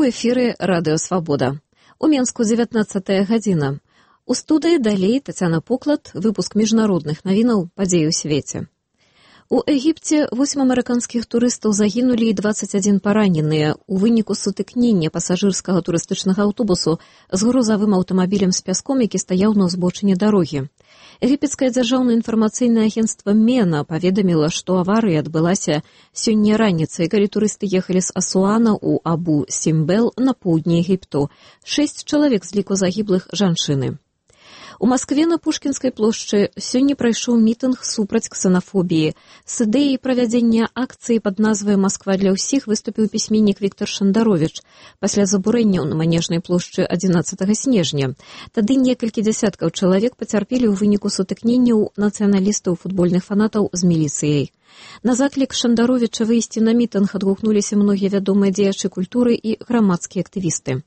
эфіры радыё «Свабода». У Менску 19 гадзіна. У студыі далей Тацяна Поклад, выпуск міжнародных навінаў падзей у свеце. У Егіпце 8 амерыканскіх турыстаў загінулі і 21 параненыя ў выніку сутыкнення пасажырскага турыстычнага аўтобусу з грузавым аўтамабілем з пяском, які стаяў на ўзбочыне дарогі. Егіпецкае дзяржаўнае інфармацыйнае агенцтва МЕНА паведаміла, што аварыя адбылася сёння раніцай, калі турысты ехалі з Асуана ў Абу-Сімбел на поўдні Егіпту. 6 чалавек з ліку загіблых жанчыны. У Маскве на Пушкінскай плошчы сёння прайшоў мітынг супраць ксенафобіі. З ідэяй правядзення акцыі пад назвай «Масква для ўсіх» выступіў пісьменнік Віктор Шандаровіч пасля забурэнняў на Манежнай плошчы 11 снежня. Тады некалькі дзясяткаў чалавек пацярпелі ў выніку сутыкненняў нацыяналістаў футбольных фанатаў з міліцыяй. На заклік Шандаровіча выйсці на мітынг адгукнуліся многія вядомыя дзеячы культуры і грамадскія актывісты.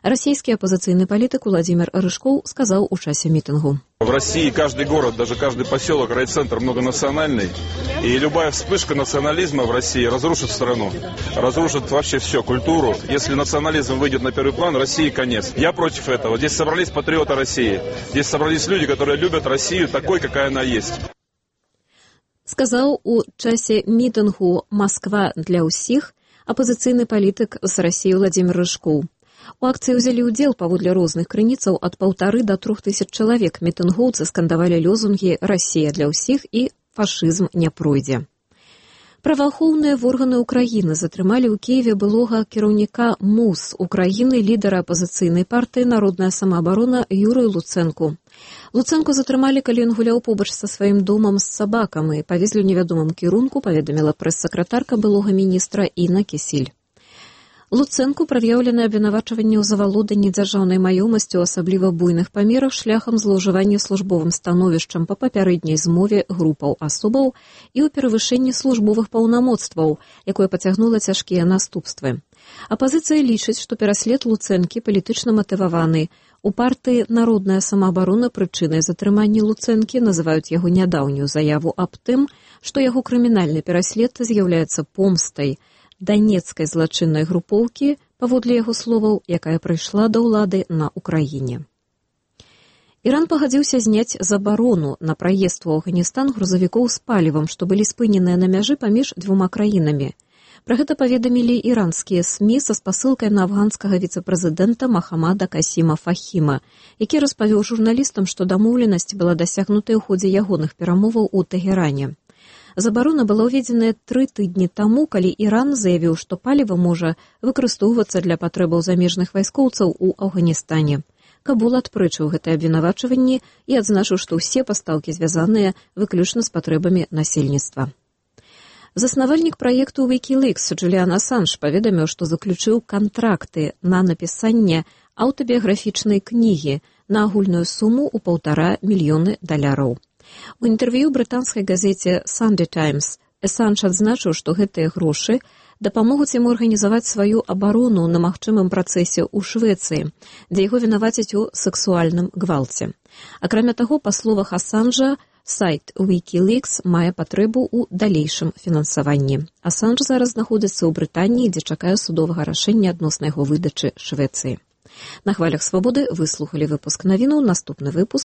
Российский оппозиционный политик Владимир Рыжков сказал у часе митингу. В России каждый город, даже каждый поселок, райцентр многонациональный. И любая вспышка национализма в России разрушит страну. Разрушит вообще все, культуру. Если национализм выйдет на первый план, России конец. Я против этого. Здесь собрались патриоты России. Здесь собрались люди, которые любят Россию такой, какая она есть. Сказал у часе митингу «Москва для усіх» оппозиционный политик с России Владимир Рыжков. У акцыі ўзялі ўдзел паводле розных крыніцаў ад 1,5 до 3,000 чалавек. Мітынгоўцы скандавалі лозунгі «Расія для ўсіх» і «Фашызм не пройдзе». Праваахоўныя органы Украіны затрымалі ў Кіеве былога кіраўніка МУС Украіны, лідара апазіцыйнай партыі «Народная самаабарона» Юрыя Луцэнку. Луцэнку затрымалі, калі ён гуляў побач са сваім домам з сабакамі. Павезлі ў невядомым кірунку, паведаміла прэс-сакратарка былога міністра Інна Кісіль. Луцэнку прад'яўлены абвінавачванні ў завалоданні дзяржаўнай маёмасці ў асабліва буйных памерах шляхам злоўжывання службовым становішчам па папярэдняй змове групаў асобаў і ў перавышэнні службовых паўнамоцтваў, якое пацягнула цяжкія наступствы. Апазіцыя лічыць, што пераслед Луцэнкі палітычна матываваны. У партыі «Народная самаабарона» прычынай затрымання Луцэнкі называюць яго нядаўнюю заяву аб тым, што яго крымінальны пераслед з'яўляецца помстай данецкай злачыннай групоўкі, паводле яго словаў, якая прыйшла да ўлады на Украіне. Іран пагадзіўся зняць забарону на праезд у Афганістан грузавікоў з палівам, што былі спыненыя на мяжы паміж двума краінамі. Пра гэта паведамілі іранскія СМІ са спасылкай на афганскага віцэ-прэзідэнта Махамада Касіма Фахіма, які распавёў журналістам, што дамоўленасць была дасягнутая ў ходзе ягоных перамоваў у Тэгеране. Забарона была ўведзеная 3 тыдні таму, калі Іран заявіў, што паліва можа выкарыстоўвацца для патрэбаў замежных вайскоўцаў у Афганістане. Кабул адпрэчыў гэтае абвінавачванне і адзначыў, што ўсе пастаўкі звязаныя выключна з патрэбамі насельніцтва. Заснавальнік праекту Wikileaks Джуліан Асанж паведаміў, што заключыў кантракты на напісанне аўтабіяграфічнай кнігі на агульную суму ў $1,5 мільёны. У інтэрв'ю брытанскай газеце Sunday Times Асанж адзначыў, што гэтыя грошы дапамогуць яму арганізаваць сваю абарону на магчымым працэсе ў Швецыі, дзе яго вінавацяць у сексуальным гвалце. Акрамя таго, па словах Асанжа, сайт Wikileaks мае патрэбу ў далейшым фінансаванні. Асанж зараз знаходзіцца ў Брытаніі, дзе чакае судовага рашэння адносна яго выдачы Швецыі. На хвалях «Свабоды» вы слухалі выпуск навінаў. Наступны выпуск